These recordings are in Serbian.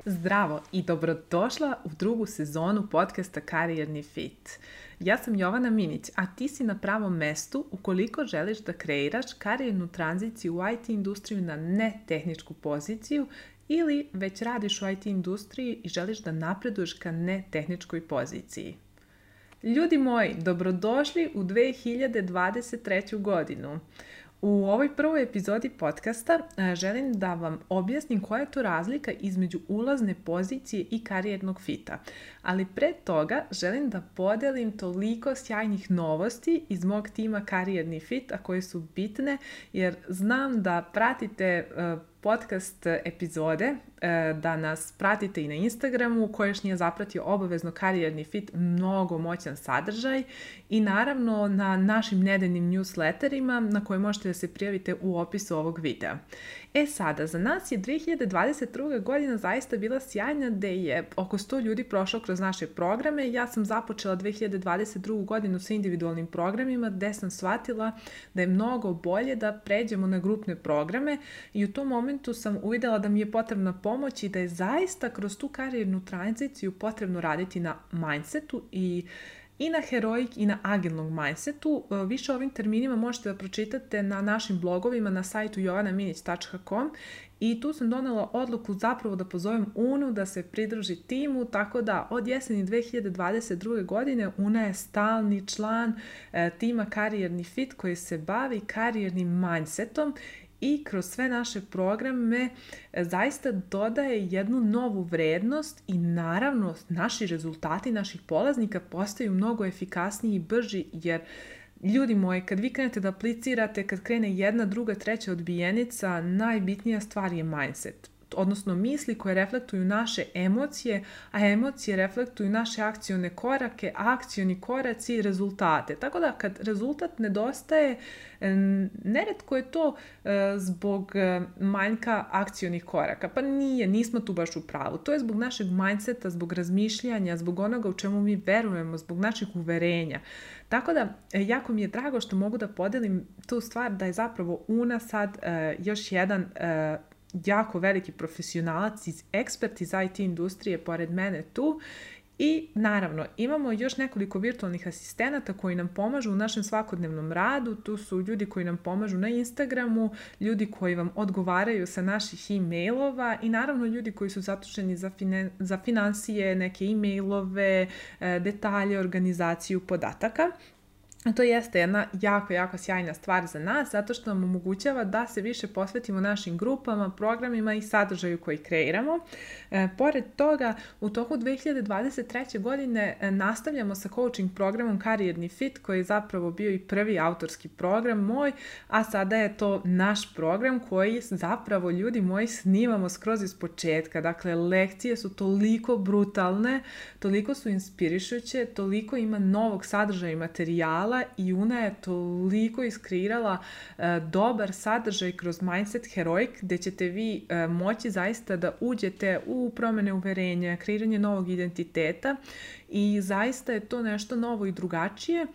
Zdravo i dobrodošla u drugu sezonu podcasta Karijerni fit. Ja sam Jovana Minić, a ti si na pravom mestu ukoliko želiš da kreiraš karijernu tranziciju u IT industriju na netehničku poziciju ili već radiš u IT industriji i želiš da napreduješ ka netehničkoj poziciji. Ljudi moji, dobrodošli u 2023. godinu. U ovoj prvoj epizodi podcasta želim da vam objasnim koja je to razlika između ulazne pozicije i karijernog fita. Ali pre toga želim da podelim toliko sjajnih novosti iz mog tima Karijerni fit, a koje su bitne jer znam da pratite podcast epizode, da nas pratite i na Instagramu, koji još nije zapratio obavezno Karijerni fit, mnogo moćan sadržaj i naravno na našim nedeljnim newsletterima na koje možete da se prijavite u opisu ovog videa. Sada, za nas je 2022. godina zaista bila sjajna gde je oko 100 ljudi prošlo kroz naše programe. Ja sam započela 2022. godinu sa individualnim programima gde sam shvatila da je mnogo bolje da pređemo na grupne programe i u tom momentu sam uvidela da mi je potrebna pomoć i da je zaista kroz tu karijernu tranziciju potrebno raditi na mindsetu i na heroik i na agilnog mindsetu. Više o ovim terminima možete da pročitate na našim blogovima na sajtu jovanaminić.com i tu sam donela odluku zapravo da pozovem Unu da se pridruži timu, tako da od jeseni 2022. godine Una je stalni član tima Karijerni fit koji se bavi karijernim mindsetom i kroz sve naše programe zaista dodaje jednu novu vrednost i naravno naši rezultati naših polaznika postaju mnogo efikasniji i brži jer ljudi moji, kad vi krenete da aplicirate, kad krene jedna, druga, treća odbijenica, najbitnija stvar je mindset. Odnosno misli koje reflektuju naše emocije, a emocije reflektuju naše akcione korake, akcioni koraci i rezultate. Tako da kad rezultat nedostaje, neretko je to zbog manjka akcionih koraka. Pa nismo tu baš u pravu. To je zbog našeg mindseta, zbog razmišljanja, zbog onoga u čemu mi verujemo, zbog naših uverenja. Tako da, jako mi je drago što mogu da podelim tu stvar da je zapravo Una sad još jedan jako veliki profesionalac, ekspert iz IT industrije pored mene tu i naravno imamo još nekoliko virtualnih asistenata koji nam pomažu u našem svakodnevnom radu. Tu su ljudi koji nam pomažu na Instagramu, ljudi koji vam odgovaraju sa naših e-mailova i naravno ljudi koji su zatušeni za finansije, neke e-mailove, detalje, organizaciju podataka. To jeste jedna jako sjajna stvar za nas zato što nam omogućava da se više posvetimo našim grupama, programima i sadržaju koji kreiramo. Pored toga, u toku 2023. godine nastavljamo sa coaching programom Karijerni fit koji je zapravo bio i prvi autorski program moj, a sada je to naš program koji zapravo, ljudi moji, snimamo skroz iz početka. Dakle, lekcije su toliko brutalne, toliko su inspirišuće, toliko ima novog sadržaja i materijala i Una je toliko iskreirala dobar sadržaj kroz Mindset Heroik gde ćete vi moći zaista da uđete u promene uverenja, kreiranje novog identiteta i zaista je to nešto novo i drugačije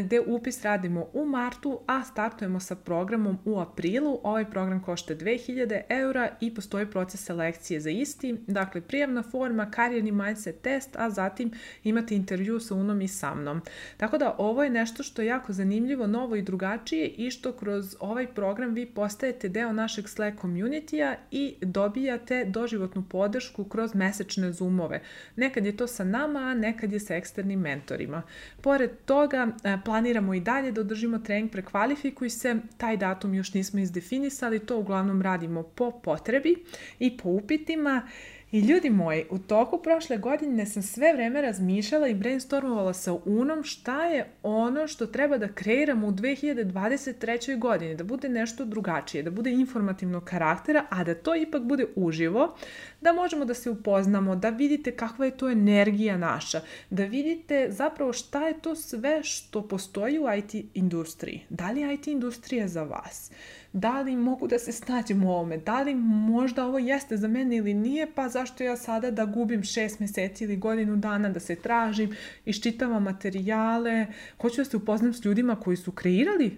gde upis radimo u martu, a startujemo sa programom u aprilu. Ovaj program košta 2000 € i postoji proces selekcije za isti. Dakle, prijavna forma, karijerni mindset test, a zatim imate intervju sa Unom i sa mnom. Tako da ovo je nešto što je jako zanimljivo, novo i drugačije i što kroz ovaj program vi postajete deo našeg Slack community-a i dobijate doživotnu podršku kroz mesečne zoomove. Nekad je to sa nama, a nekad je sa eksternim mentorima. Pored toga, planiramo i dalje da održimo trening Prekvalifikuj se. Taj datum još nismo izdefinisali, to uglavnom radimo po potrebi i po upitima. I ljudi moji, u toku prošle godine sam sve vreme razmišljala i brainstormovala sa Unom šta je ono što treba da kreiramo u 2023. godini, da bude nešto drugačije, da bude informativnog karaktera, a da to ipak bude uživo, da možemo da se upoznamo, da vidite kakva je to energija naša, da vidite zapravo šta je to sve što postoji u IT industriji. Da li je IT industrija za vas? Da li mogu da se snađem u ovome? Da li možda ovo jeste za mene ili nije? Pa zašto ja sada da gubim 6 meseci ili godinu dana da se tražim, iščitavam materijale, hoću da se upoznam s ljudima koji su kreirali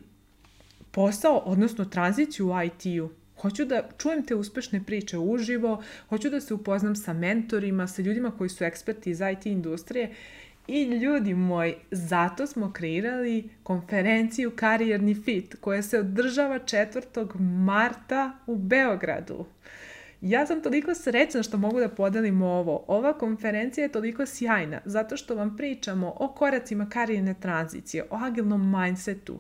posao, odnosno tranziciju u IT-u. Hoću da čujem te uspešne priče uživo, hoću da se upoznam sa mentorima, sa ljudima koji su eksperti iz IT industrije. I ljudi moji, zato smo kreirali konferenciju Karijerni fit koja se održava 4. marta u Beogradu. Ja sam toliko srećna što mogu da podelim ovo. Ova konferencija je toliko sjajna zato što vam pričamo o koracima karijerne tranzicije, o agilnom mindsetu.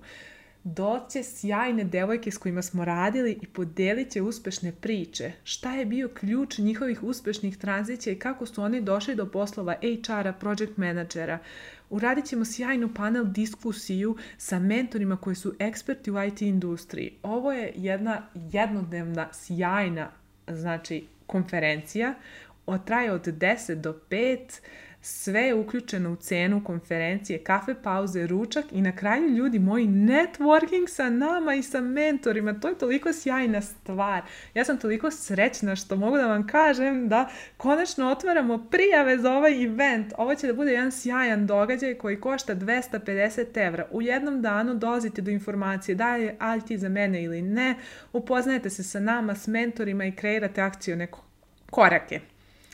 Doće sjajne devojke s kojima smo radili i podelit će uspešne priče. Šta je bio ključ njihovih uspešnih tranzicija i kako su oni došli do poslova HR-a, project menadžera. Uradit ćemo sjajnu panel diskusiju sa mentorima koji su eksperti u IT industriji. Ovo je jedna jednodnevna sjajna konferencija. Traje od 10 do 5. Sve je uključeno u cenu konferencije, kafe pauze, ručak i na kraju, ljudi moji, networking sa nama i sa mentorima. To je toliko sjajna stvar. Ja sam toliko srećna što mogu da vam kažem da konačno otvaramo prijave za ovaj event. Ovo će da bude jedan sjajan događaj koji košta 250 €. U jednom danu dolazite do informacije da je IT za mene ili ne, upoznajete se sa nama, s mentorima i kreirate akcione korake.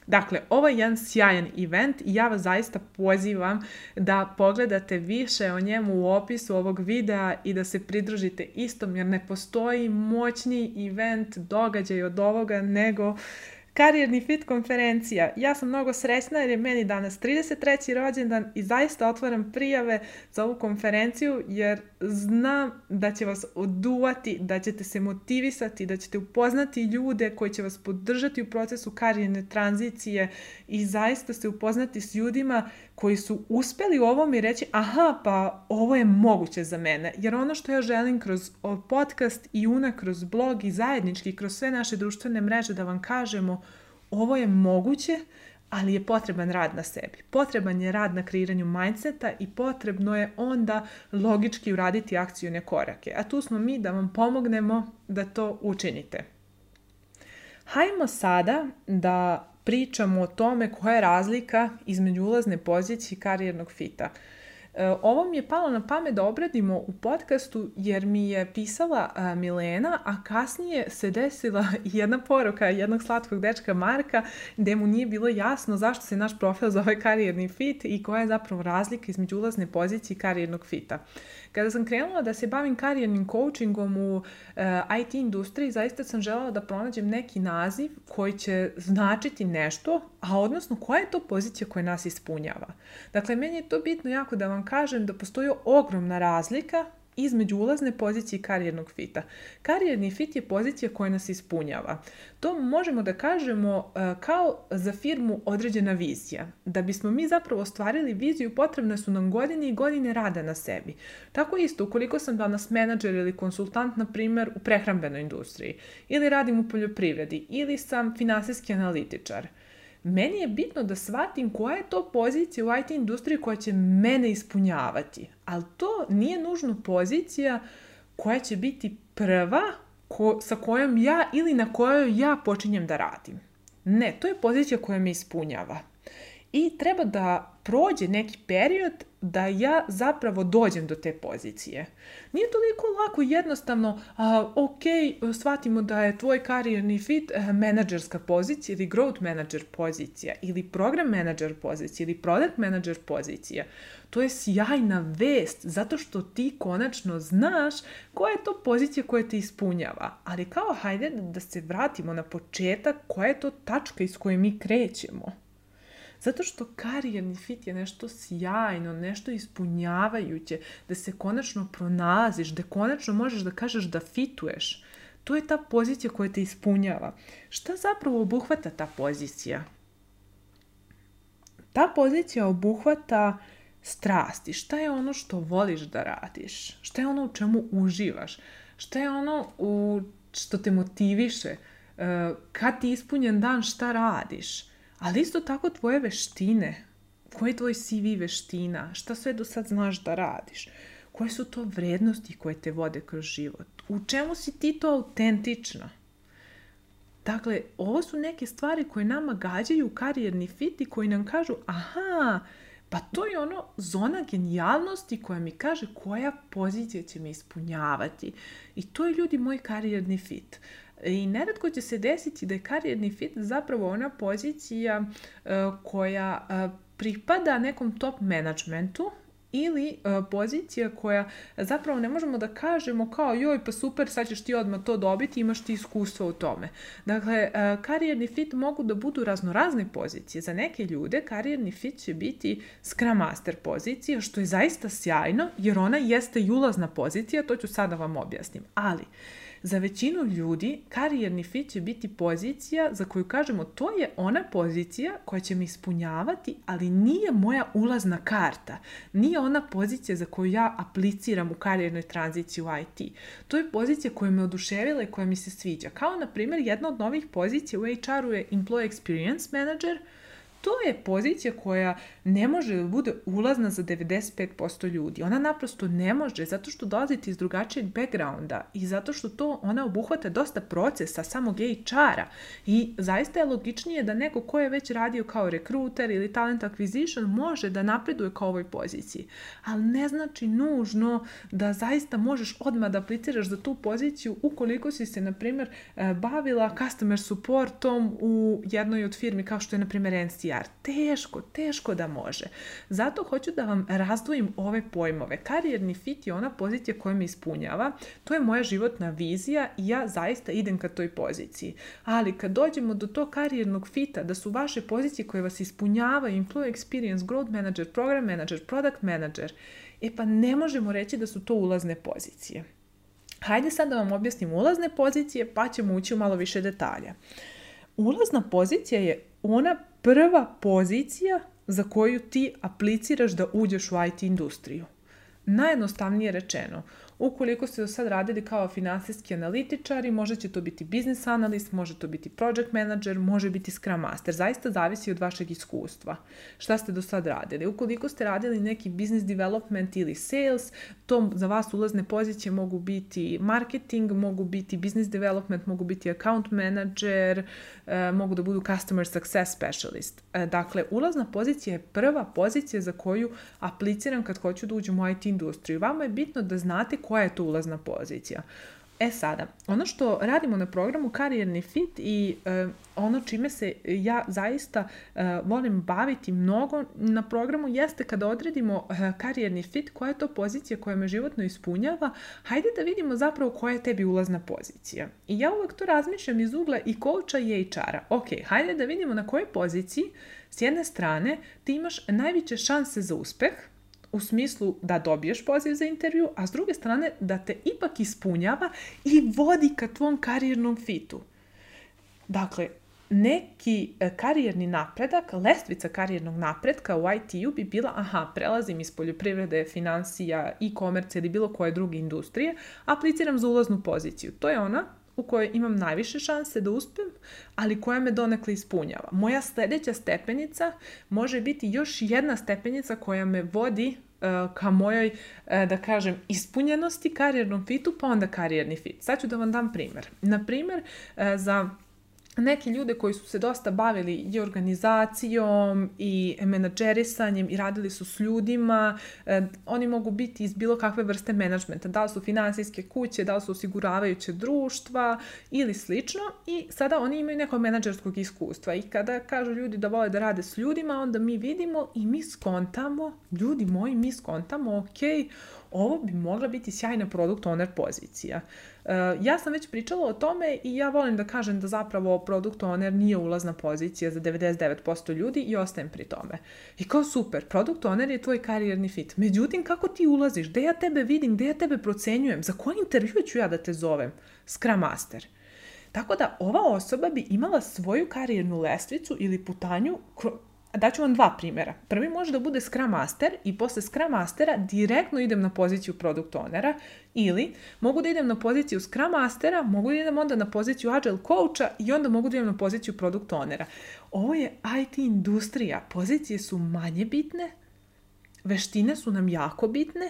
Dakle, ovo je jedan sjajan event i ja vas zaista pozivam da pogledate više o njemu u opisu ovog videa i da se pridružite istom, jer ne postoji moćniji event, događaj od ovoga nego Karijerni fit konferencija. Ja sam mnogo srećna jer je meni danas 33. rođendan i zaista otvaram prijave za ovu konferenciju jer znam da će vas oduvati, da ćete se motivisati, da ćete upoznati ljude koji će vas podržati u procesu karijerne tranzicije i zaista se upoznati s ljudima koji su uspeli u ovom i reći aha, pa ovo je moguće za mene. Jer ono što ja želim kroz podcast i kroz blog i zajednički kroz sve naše društvene mreže da vam kažemo, ovo je moguće, ali je potreban rad na sebi. Potreban je rad na kreiranju mindseta i potrebno je onda logički uraditi akcione korake. A tu smo mi da vam pomognemo da to učinite. Hajmo sada da pričamo o tome koja je razlika između ulazne pozicije i karijernog fita. Ovo mi je palo na pamet da obradimo u podcastu jer mi je pisala Milena, a kasnije se desila jedna poruka jednog slatkog dečka Marka gde mu nije bilo jasno zašto se naš profil zove karijerni fit i koja je zapravo razlika između ulazne pozicije i karijernog fita. Kada sam krenula da se bavim karijernim coachingom u IT industriji, zaista sam želela da pronađem neki naziv koji će značiti nešto, a odnosno koja je to pozicija koja nas ispunjava. Dakle, meni je to bitno jako da vam kažem da postoji ogromna razlika između ulazne pozicije i karijernog fita. Karijerni fit je pozicija koja nas ispunjava. To možemo da kažemo kao za firmu određena vizija. Da bismo mi zapravo ostvarili viziju, potrebne su nam godine i godine rada na sebi. Tako isto, ukoliko sam danas menadžer ili konsultant, na primjer, u prehrambenoj industriji, ili radim u poljoprivredi, ili sam finansijski analitičar, meni je bitno da shvatim koja je to pozicija u IT industriji koja će mene ispunjavati. Ali to nije nužno pozicija koja će biti prva sa kojom ja ili na kojoj ja počinjem da radim. Ne, to je pozicija koja me ispunjava. I treba da prođe neki period da ja zapravo dođem do te pozicije. Nije toliko lako i jednostavno, shvatimo da je tvoj karijerni fit menadžerska pozicija ili growth manager pozicija ili program manager pozicija ili product manager pozicija. To je sjajna vest zato što ti konačno znaš koja je to pozicija koja te ispunjava. Ali hajde da se vratimo na početak, koja je to tačka iz koje mi krećemo. Zato što karijerni fit je nešto sjajno, nešto ispunjavajuće, da se konačno pronalaziš, da konačno možeš da kažeš da fituješ. To je ta pozicija koja te ispunjava. Šta zapravo obuhvata ta pozicija? Ta pozicija obuhvata strasti. Šta je ono što voliš da radiš? Šta je ono u čemu uživaš? Šta je ono što te motiviše? Kad ti ispunjen dan, šta radiš? Ali isto tako tvoje veštine. Koji je tvoj CV veština? Šta sve do sad znaš da radiš? Koje su to vrednosti koje te vode kroz život? U čemu si ti to autentična? Dakle, ovo su neke stvari koje nama gađaju karijerni fit i koji nam kažu aha, Pa to je ono zona genijalnosti koja mi kaže koja pozicija će me ispunjavati. I to je, ljudi, moj karijerni fit. I neretko će se desiti da je karijerni fit zapravo ona pozicija koja pripada nekom top managementu, ili pozicija koja zapravo ne možemo da kažemo kao joj pa super, sad ćeš ti odmah to dobiti, imaš ti iskustvo u tome. Dakle, karijerni fit mogu da budu raznorazne pozicije. Za neke ljude karijerni fit će biti Scrum Master pozicija, što je zaista sjajno, jer ona jeste i ulazna pozicija, to ću sada vam objasnim. Ali, za većinu ljudi karijerni fit će biti pozicija za koju kažemo to je ona pozicija koja će me ispunjavati, ali nije moja ulazna karta. Nije ona pozicija za koju ja apliciram u karijernoj tranziciji u IT. To je pozicija koja me oduševila i koja mi se sviđa. Kao, na primjer, jedna od novih pozicija u HR-u je Employee Experience Manager. To je pozicija koja ne može da bude ulazna za 95% ljudi. Ona naprosto ne može, zato što dolazite iz drugačijeg backgrounda i zato što to ona obuhvata dosta procesa samog HR-a. I zaista je logičnije da neko ko je već radio kao rekruter ili talent acquisition može da napreduje kao ovoj poziciji. Ali ne znači nužno da zaista možeš odmah da apliciraš za tu poziciju ukoliko si se, na primjer, bavila customer supportom u jednoj od firmi kao što je, na primjer, NCR. Teško da može. Zato hoću da vam razdvojim ove pojmove. Karijerni fit je ona pozicija koja me ispunjava. To je moja životna vizija i ja zaista idem ka toj poziciji. Ali kad dođemo do tog karijernog fita, da su vaše pozicije koje vas ispunjavaju, employee experience, growth manager, program manager, product manager, pa ne možemo reći da su to ulazne pozicije. Hajde sad da vam objasnim ulazne pozicije, pa ćemo ući u malo više detalja. Ulazna pozicija je ona prva pozicija za koju ti apliciraš da uđeš u IT industriju. Najjednostavnije rečeno, ukoliko ste do sad radili kao finansijski analitičari, možda će to biti business analyst, može to biti project manager, može biti scrum master. Zaista zavisi od vašeg iskustva. Šta ste do sad radili? Ukoliko ste radili neki business development ili sales, to za vas ulazne pozicije mogu biti marketing, mogu biti business development, mogu biti account manager, mogu da budu customer success specialist. Dakle, ulazna pozicija je prva pozicija za koju apliciram kad hoću da uđem u IT industriju. Vama je bitno da znate koja je to ulazna pozicija. Sada, ono što radimo na programu Karijerni fit i ono čime se ja zaista volim baviti mnogo na programu jeste kada odredimo karijerni fit, koja je to pozicija koja me životno ispunjava, hajde da vidimo zapravo koja je tebi ulazna pozicija. I ja uvek to razmišljam iz ugla i coacha i HR-a. Ok, hajde da vidimo na kojoj poziciji s jedne strane ti imaš najveće šanse za uspeh, u smislu da dobiješ poziv za intervju, a s druge strane da te ipak ispunjava i vodi ka tvom karijernom fitu. Dakle, neki karijerni napredak, lestvica karijernog napretka u IT-u bi bila, prelazim iz poljoprivrede, finansija, e-commerce ili bilo koje druge industrije, apliciram za ulaznu poziciju. To je ona u kojoj imam najviše šanse da uspem, ali koja me donekle ispunjava. Moja sljedeća stepenica može biti još jedna stepenica koja me vodi ka mojoj, da kažem, ispunjenosti, karijernom fitu, pa onda karijerni fit. Sad ću da vam dam primjer. Na primjer, za neki ljude koji su se dosta bavili i organizacijom i menadžerisanjem i radili su s ljudima, oni mogu biti iz bilo kakve vrste menadžmenta, da li su finansijske kuće, da li su osiguravajuće društva ili slično, i sada oni imaju neko menadžerskog iskustva i kada kažu ljudi da vole da rade s ljudima, onda mi vidimo i mi skontamo, ljudi moji, mi skontamo, ok, ovo bi mogla biti sjajna product owner pozicija. Ja sam već pričala o tome i ja volim da kažem da zapravo product owner nije ulazna pozicija za 99% ljudi i ostajem pri tome. I kao super, product owner je tvoj karijerni fit. Međutim, kako ti ulaziš? Gde ja tebe vidim? Gde ja tebe procenjujem? Za koji intervju ću ja da te zovem? Scrum Master. Tako da ova osoba bi imala svoju karijernu lestvicu ili putanju. Daću vam dva primjera. Prvi može da bude Scrum Master i posle Scrum Mastera direktno idem na poziciju Product Ownera, ili mogu da idem na poziciju Scrum Mastera, mogu da idem onda na poziciju Agile Coacha i onda mogu da idem na poziciju Product Ownera. Ovo je IT industrija. Pozicije su manje bitne, veštine su nam jako bitne,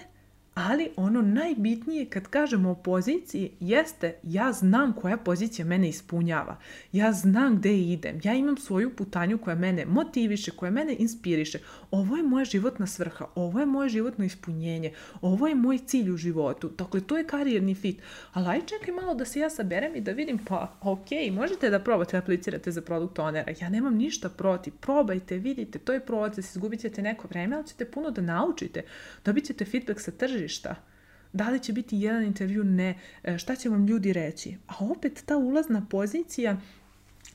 Ali ono najbitnije kad kažemo o poziciji jeste ja znam koja pozicija mene ispunjava. Ja znam gde idem. Ja imam svoju putanju koja mene motiviše, koja mene inspiriše. Ovo je moja životna svrha. Ovo je moje životno ispunjenje. Ovo je moj cilj u životu. Dakle, to je karijerni fit. Ali aj čekaj malo da se ja saberem i da vidim, pa ok, možete da probate aplicirate za product ownera. Ja nemam ništa protiv. Probajte, vidite, to je proces. Izgubit ćete neko vreme, ali ćete puno da naučite. Dobit ćete feedback sa tržišta. Da li će biti jedan intervju? Ne. Šta će vam ljudi reći? A opet ta ulazna pozicija,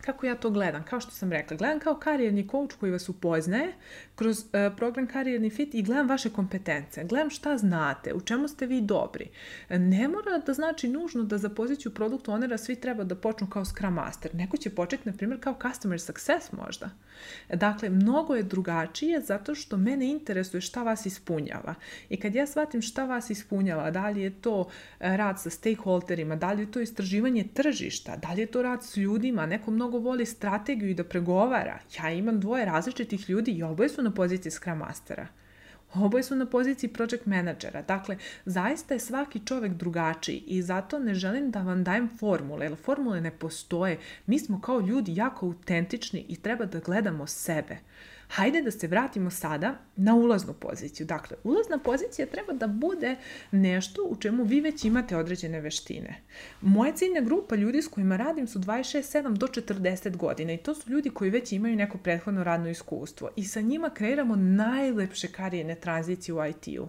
kako ja to gledam? Kao što sam rekla, gledam kao karijerni coach koji vas upoznaje kroz program Karijerni fit i gledam vaše kompetencije. Gledam šta znate, u čemu ste vi dobri. Ne mora da znači nužno da za poziciju product ownera svi treba da počnu kao Scrum Master. Neko će početi, na primjer, kao Customer Success možda. Dakle, mnogo je drugačije zato što mene interesuje šta vas ispunjava. I kad ja shvatim šta vas ispunjava, da li je to rad sa stakeholderima, da li je to istraživanje tržišta, da li je to rad s ljudima, neko mnogo voli strategiju i da pregovara. Ja imam 2 različitih ljudi i oboje su na poziciji Scrum Mastera. Oboje su na poziciji project menadžera. Dakle, zaista je svaki čovjek drugačiji i zato ne želim da vam dajem formule, jer formule ne postoje. Mi smo kao ljudi jako autentični i treba da gledamo sebe. Hajde da se vratimo sada na ulaznu poziciju. Dakle, ulazna pozicija treba da bude nešto u čemu vi već imate određene veštine. Moja ciljna grupa ljudi s kojima radim su 26-7 do 40 godina i to su ljudi koji već imaju neko prethodno radno iskustvo i sa njima kreiramo najlepše karijerne tranzicije u IT-u.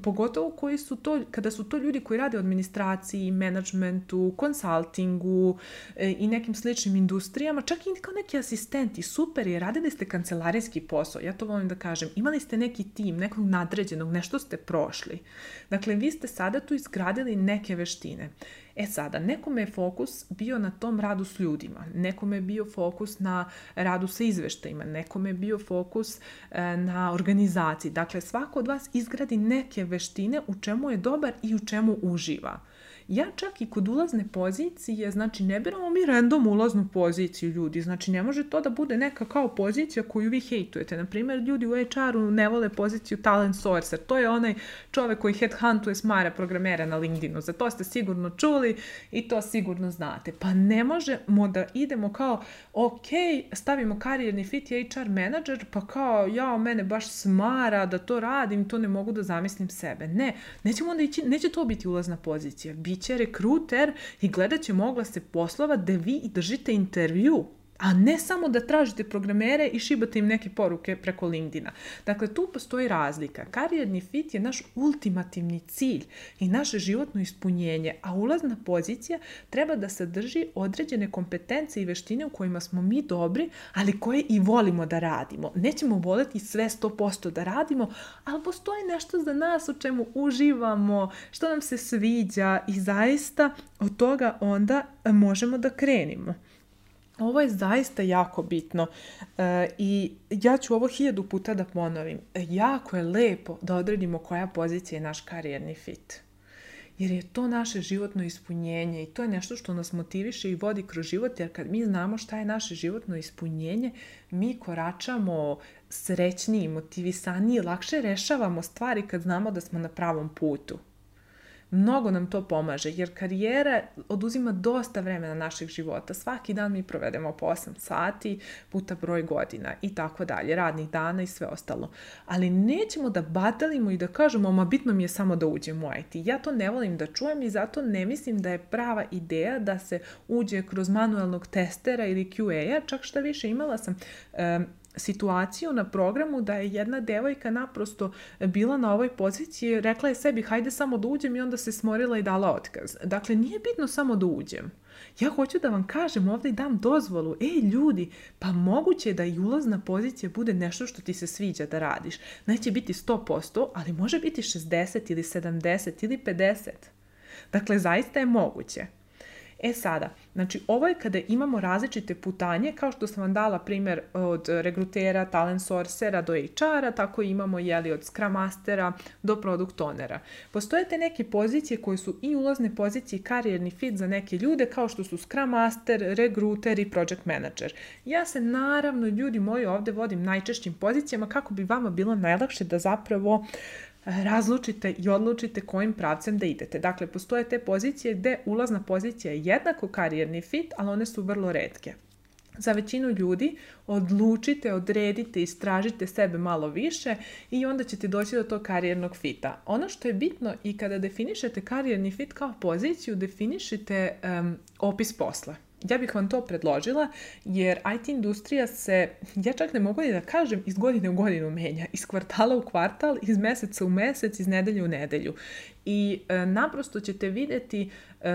Pogotovo koji su to, kada su to ljudi koji rade u administraciji, menadžmentu, konsultingu i nekim sličnim industrijama, čak i kao neki asistenti, super je, radili ste kancelarijski posao, ja to volim da kažem, imali ste neki tim, nekog nadređenog, nešto ste prošli. Dakle, vi ste sada tu izgradili neke veštine. E sada, nekome je fokus bio na tom radu s ljudima, nekome je bio fokus na radu sa izveštajima, nekome je bio fokus na organizaciji. Dakle, svako od vas izgradi neke veštine u čemu je dobar i u čemu uživa. Ja čak i kod ulazne pozicije, znači ne biramo mi random ulaznu poziciju ljudi, znači ne može to da bude neka kao pozicija koju vi hejtujete. Naprimjer, ljudi u HR-u ne vole poziciju talent sourcer, to je onaj čovjek koji headhuntuje smara programera na LinkedInu, za to ste sigurno čuli i to sigurno znate. Pa ne možemo da idemo kao, ok, stavimo karijerni fit i HR menadžer, pa kao, mene baš smara da to radim, to ne mogu da zamislim sebe. Ne, neće to biti ulazna pozicija, biće rekruter i gledat će oglase poslova da vi držite intervju, a ne samo da tražite programere i šibate im neke poruke preko LinkedIna. Dakle, tu postoji razlika. Karijerni fit je naš ultimativni cilj i naše životno ispunjenje, a ulazna pozicija treba da sadrži određene kompetencije i veštine u kojima smo mi dobri, ali koje i volimo da radimo. Nećemo voleti sve 100% da radimo, ali postoji nešto za nas u čemu uživamo, što nam se sviđa i zaista od toga onda možemo da krenemo. Ovo je zaista jako bitno i ja ću ovo 1000 puta da ponovim. Jako je lepo da odredimo koja pozicija je naš karijerni fit. Jer je to naše životno ispunjenje i to je nešto što nas motiviše i vodi kroz život, jer kad mi znamo šta je naše životno ispunjenje, mi koračamo srećniji, motivisaniji, lakše rešavamo stvari kad znamo da smo na pravom putu. Mnogo nam to pomaže, jer karijera oduzima dosta vremena naših života. Svaki dan mi provedemo po 8 sati puta broj godina i tako dalje, radnih dana i sve ostalo. Ali nećemo da batalimo i da kažemo, ma bitno mi je samo da uđem u IT. Ja to ne volim da čujem i zato ne mislim da je prava ideja da se uđe kroz manualnog testera ili QA-a. Čak šta više, imala sam situaciju na programu da je jedna devojka naprosto bila na ovoj poziciji, rekla je sebi hajde samo da uđem i onda se smorila i dala otkaz. Dakle, nije bitno samo da uđem. Ja hoću da vam kažem ovdje i dam dozvolu, ljudi, pa moguće je da i ulazna pozicija bude nešto što ti se sviđa da radiš. Neće biti 100%, ali može biti 60 ili 70 ili 50. Dakle, zaista je moguće. E sada, znači ovo je kada imamo različite putanje, kao što sam vam dala primjer od regrutera, talent sourcera do HR-a, tako imamo od Scrum Mastera do Product Ownera. Postoje te neke pozicije koje su i ulazne pozicije i karijerni fit za neke ljude, kao što su Scrum Master, regruter i Project Manager. Ja se naravno, ljudi moji, ovdje vodim najčešćim pozicijama kako bi vama bilo najlakše da zapravo razlučite i odlučite kojim pravcem da idete. Dakle, postoje te pozicije gde ulazna pozicija je jednako karijerni fit, ali one su vrlo retke. Za većinu ljudi odlučite, odredite, istražite sebe malo više i onda ćete doći do tog karijernog fita. Ono što je bitno i kada definišete karijerni fit kao poziciju, definišite opis posla. Ja bih vam to predložila jer IT industrija se, ja čak ne mogu ni da kažem, iz godine u godinu menja. Iz kvartala u kvartal, iz meseca u mesec, iz nedelje u nedelju. I naprosto ćete vidjeti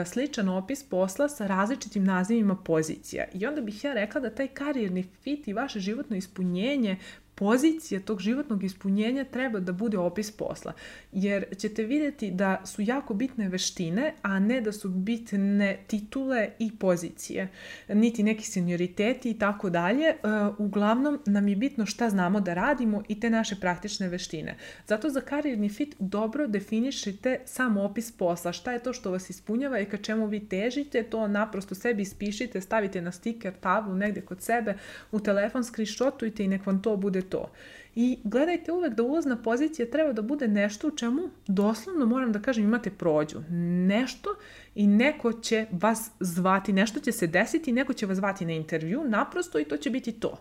sličan opis posla sa različitim nazivima pozicija. I onda bih ja rekla da taj karijerni fit i vaše životno ispunjenje, pozicija tog životnog ispunjenja treba da bude opis posla. Jer ćete vidjeti da su jako bitne veštine, a ne da su bitne titule i pozicije. Niti neki senioriteti i tako dalje. Uglavnom nam je bitno šta znamo da radimo i te naše praktične veštine. Zato za karijerni fit dobro definišite sam opis posla. Šta je to što vas ispunjava i ka čemu vi težite, to naprosto sebi ispišite, stavite na stiker, tablu negdje kod sebe, u telefon screenshotujte i nek vam to bude to. I gledajte uvek da ulazna pozicija treba da bude nešto u čemu doslovno, moram da kažem, imate prođu. Nešto i neko će vas zvati, nešto će se desiti, neko će vas zvati na intervju, naprosto, i to će biti to.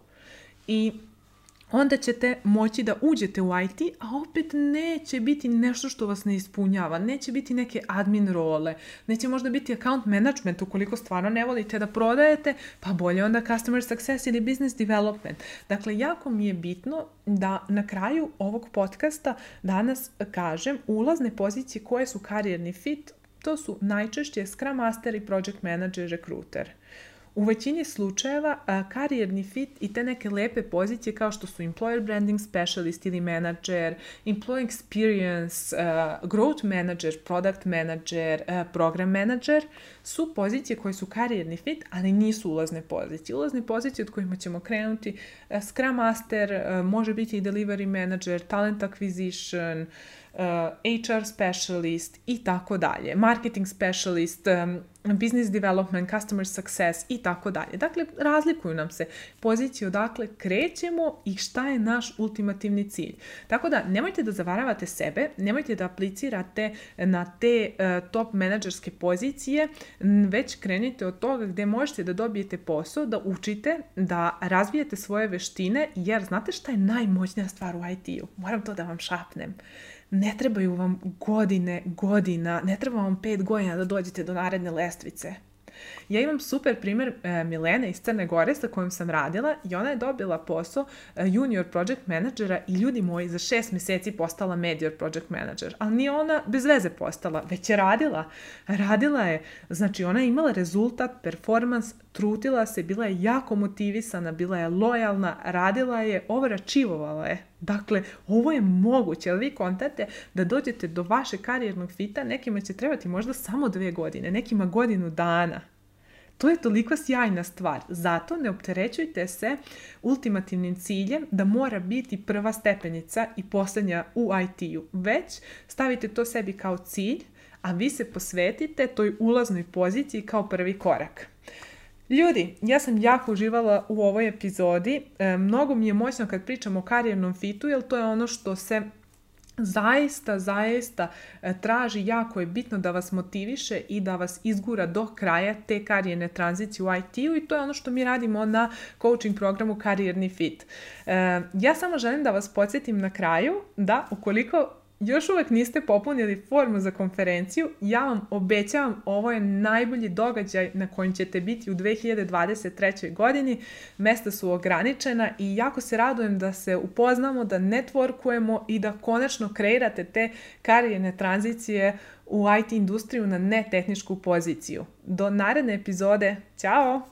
I onda ćete moći da uđete u IT, a opet neće biti nešto što vas ne ispunjava, neće biti neke admin role, neće možda biti account management ukoliko stvarno ne volite da prodajete, pa bolje onda customer success ili business development. Dakle, jako mi je bitno da na kraju ovog podcasta danas kažem ulazne pozicije koje su karijerni fit, to su najčešće Scrum Master i Project Manager, Recruiter. U većini slučajeva karijerni fit i te neke lepe pozicije kao što su Employer Branding Specialist ili Manager, Employee Experience, Growth Manager, Product Manager, Program Manager su pozicije koje su karijerni fit, ali nisu ulazne pozicije. Ulazne pozicije od kojima ćemo krenuti Scrum Master, može biti i Delivery Manager, Talent Acquisition, HR specialist i tako dalje, marketing specialist, business development, customer success i tako dalje. Dakle, razlikuju nam se pozicije odakle krećemo i šta je naš ultimativni cilj. Tako da, nemojte da zavaravate sebe, nemojte da aplicirate na te top menadžerske pozicije, već krenite od toga gdje možete da dobijete posao, da učite, da razvijete svoje veštine, jer znate šta je najmoćnija stvar u IT-u? Moram to da vam šapnem. Ne trebaju vam godina, ne treba vam 5 godina da dođete do naredne lestvice. Ja imam super primjer Milene iz Crne Gore sa kojom sam radila i ona je dobila posao junior project managera i ljudi moji za 6 mjeseci postala major project manager. Ali nije ona bez veze postala, već je radila. Radila je, znači ona je imala rezultat, performans, trudila se, bila je jako motivisana, bila je lojalna, radila je, overachivovala je. Dakle, ovo je moguće, ali vi kontate da dođete do vašeg karijernog fita, nekima će trebati možda samo 2 godine, nekima godinu dana. To je toliko sjajna stvar. Zato ne opterećujte se ultimativnim ciljem da mora biti prva stepenica i posljednja u IT-u. Već stavite to sebi kao cilj, a vi se posvetite toj ulaznoj poziciji kao prvi korak. Ljudi, ja sam jako uživala u ovoj epizodi. Mnogo mi je moćno kad pričam o karijernom fitu, jer to je ono što se zaista traži, jako je bitno da vas motiviše i da vas izgura do kraja te karijerne tranzicije u IT-u i to je ono što mi radimo na coaching programu Karijerni fit. Ja samo želim da vas podsjetim na kraju da ukoliko još uvijek niste popunili formu za konferenciju, ja vam obećavam, ovo je najbolji događaj na kojem ćete biti u 2023. godini. Mesta su ograničena i jako se radujem da se upoznamo, da networkujemo i da konačno kreirate te karijerne tranzicije u IT industriju na netehničku poziciju. Do naredne epizode. Ćao!